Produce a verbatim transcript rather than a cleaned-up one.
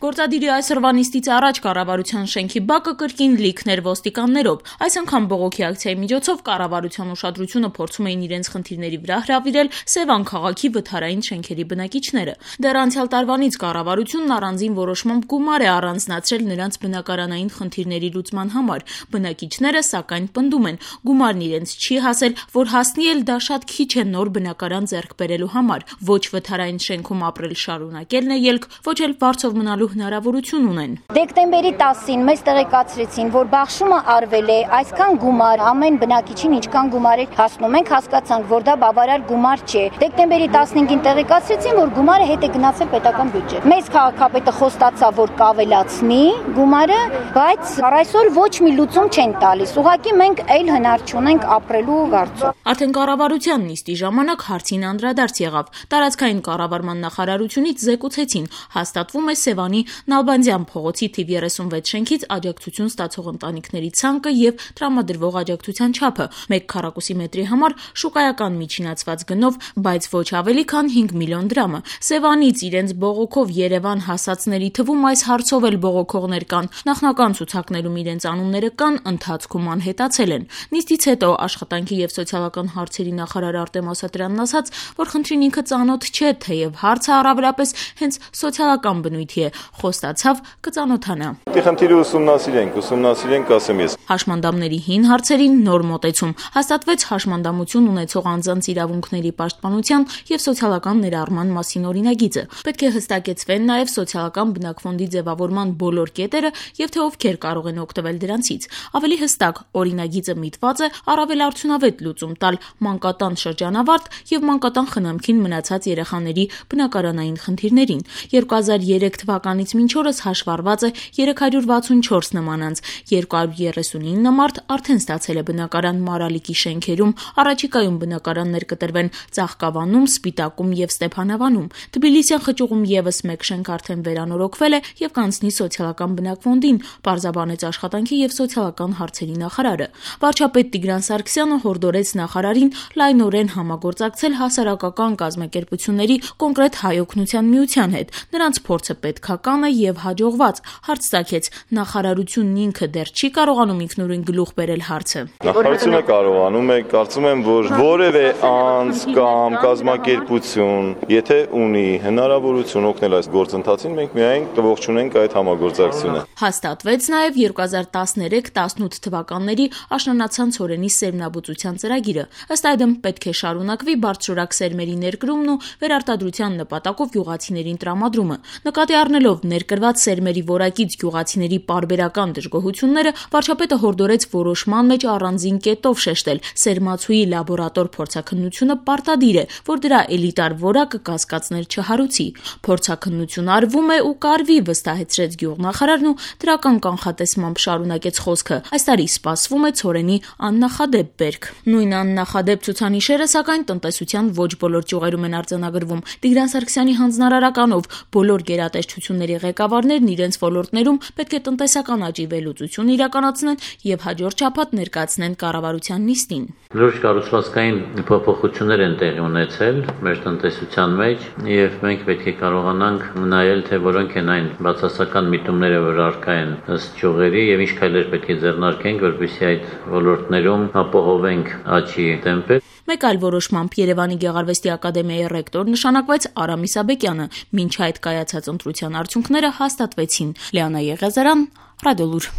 Գործադիրի այսօրվա նիստից առաջ կառավարության շենքի բակը կրկին լիքներ ոստիկաններով։ Այս անգամ բողոքի ակցիայի միջոցով կառավարության ուշադրությունը փորձում էին իրենց խնդիրների վրա հրավիրել Սևան քաղաքի վթարային շենքերի բնակիչները։ Դեռ անցյալ տարվանից կառավարությունն առանձին որոշմամբ գումար է առանձնացրել նրանց բնակարանային խնդիրների լուծման համար։ Բնակիչները, սակայն, պնդում են, գումարն իրենց չի հասել, որ հասնի էլ դա շատ քիչ է նոր բնակարան ձեռք բերելու համար։ Ոչ վթարային շենքում ապրել շարունակելն է ելք, ոչ էլ վարձով մնալու հնարավորություն ունեն։ Դեկտեմբերի տասին մեզ տեղեկացրեցին, որ բաշխումը արվել է, այսքան գումար ամեն բնակիչին ինչքան գումար է հասնում։ Մենք հասկացանք, որ դա բավարար գումար չէ։ Դեկտեմբերի տասնհինգին տեղեկացրեցին, որ գումարը հետ է գնացել պետական բյուջե։ Մեզ քաղաքապետը խոստացավ, որ կավելացնի գումարը, բայց առայսօր ոչ մի լուծում չեն տալիս։ Ուղղակի մենք այլ հնար չունենք ապրելու հարցում։ Արդեն կառավարության նիստի ժամանակ հարցին անդրադարձ եղավ։ Տարածքային կառավարման նախարարությունից զեկուցեցին, հաստատվում է Սևանի Նալբանդյան փողոցի թիվ երեսունվեց շենքից աջակցություն ստացող ընտանիքների ցանկը եւ տրամադրվող աջակցության չափը՝ մեկ քառակուսի մետրի համար շուկայական միջինացված գնով, բայց ոչ ավելի քան հինգ միլիոն դրամը։ Սևանից իրենց բողոքով Երևան հասածների թվում այս հարցով էլ բողոքողներ կան։ Նախնական ցուցակներում իրենց անունները կան, ընթացքում անհետացել են։ Նիստից հետո աշխատանքի եւ սոցիալական հարցերի նախարար Արտեմ Ասատրյանն ասաց, որ խնդրին ինքը ծանոթ չէ, թեև հարցը առավելապես հենց սոցիալական բնույթի է, խոստացավ կծանոթանա։ Դե խնդիրը ուսումնասիրենք, ուսումնասիրենք, ասեմ ես։ Հաշմանդամների հին հարցերին նոր մոտեցում։ Հաստատվեց հաշմանդամություն ունեցող անձանց իրավունքների պաշտպանության եւ սոցիալական ներառման մասին օրինագիծը։ Պետք է հստակեցվեն նաեւ սոցիալական բնակ ֆոնդի ձևավորման բոլոր կետերը եւ թե ովքեր կարող են օգտվել դրանցից։ Ավելի հստակ, օրինագիծը միտված է առավել արդյունավետ լուծում տալ մանկատան շրջանավարտ եւ մանկատան խնամքին մնացած երեխաների բնակարանային խնդիրներին։ երկու հազար երեք թվականից մինչ օրս հաշվառված է երեք հարյուր վաթսունչորս նման անձ, երկու հարյուր երեսունինը մարդ արդեն ստացել է բնակարան Մարալիկի շենքերում, առաջիկայում բնակարաններ կտրվեն Ծաղկավանում, Սպիտակում եւ Ստեփանավանում։ Թբիլիսյան խճուղում եւս մեկ շենք արդեն վերանորոգվել է եւ կանցնի սոցիալական բնակ ֆոնդին, պարզաբանեց աշխատանքի եւ սոցիալական հարցերի նախարարը։ Վարչապետ Տիգրան Սարգսյանը հորդորեց նախարարին լայնորեն համագործակցել հասարակական կազմակերպությունների, կոնկրետ Հայօգնության միության հետ։ Նրանց փորձը պետքական է եւ հաջողված։ Հարց ցակեց, նախարարությունն ինքը դեռ չի կարողանում ինքնուրույն գլուխ բերել հարցը։ Նախարարությունը կարողանում է, կարծում եմ, որ որևէ անձ կամ կազմակերպություն, եթե ունի հնարավորություն օգնել այս գործընթացին, մենք միայն կողջունենք այդ համագործակցությունը։ Հաստատվեց նաեւ երկու հազար տասներեք տասնութ թվականների աշնանացան ցորենի սերմնաբուծության ծրագիրը։ Ըստ այդմ պետք է շարունակվի բարձրորակ սերմերի ներկրումն ու վերարտադրության նպատակով գյուղացիներին տրամադրումը։ Նկատի առնելով ներկրված սերմերի որակից գյուղացիների պարբերական դժգոհությունները, վարչապետը հորդորեց որոշման մեջ առանձին կետով շեշտել. սերմացուի լաբորատոր փորձաքննությունը պարտադիր է, որ դրա էլիտար որակը կասկածներ չհարուցի։ Փորձաքննություն արվում է ու կարվի, վստահեցրեց գյուղնախարարն ու դրական կանխատեսմամբ շարունակեց խոսքը։ Այս տարի սպասվում է ցորենի աննախադեպ բերք։ Նույն աննախադեպ ցուցանիշերը, սակայն, տնտեսության ոչ բոլոր ճյուղերում են արձանագրվում։ Տիգրան Սարգսյանի հանձնարարականով բոլոր գերատեսչությունների ղեկավարներն իրենց ոլորտներում պետք է տնտեսական աճի վերլուծություն իրականացնեն եւ հաջորդ շաբաթ ներկայացնեն կառավարության նիստին։ Լուրջ կառուցվածքային փոփոխություններ են տեղի ունեցել մեր տնտեսության մեջ եւ մենք պետք է կարողանանք նայել, թե որոնք են այն բացասական միտումները, որ առկա են ըստ ճյուղերի եւ ինչ քայլեր պետք է ձեռնարկենք, որպեսզի այդ ոլորտներում ապահովենք աճի տեմպը։ Մեկ այլ որոշմամբ Երևանի Գեղարվեստի ակադեմիայի ռեկտոր նշանակվեց Արամ Իսաբեկյանը, մինչ այդ կայացած ընտրության արդյունքները հաստատվեցին։ Լիանա Եղիազարյան, Ռադիոլուր։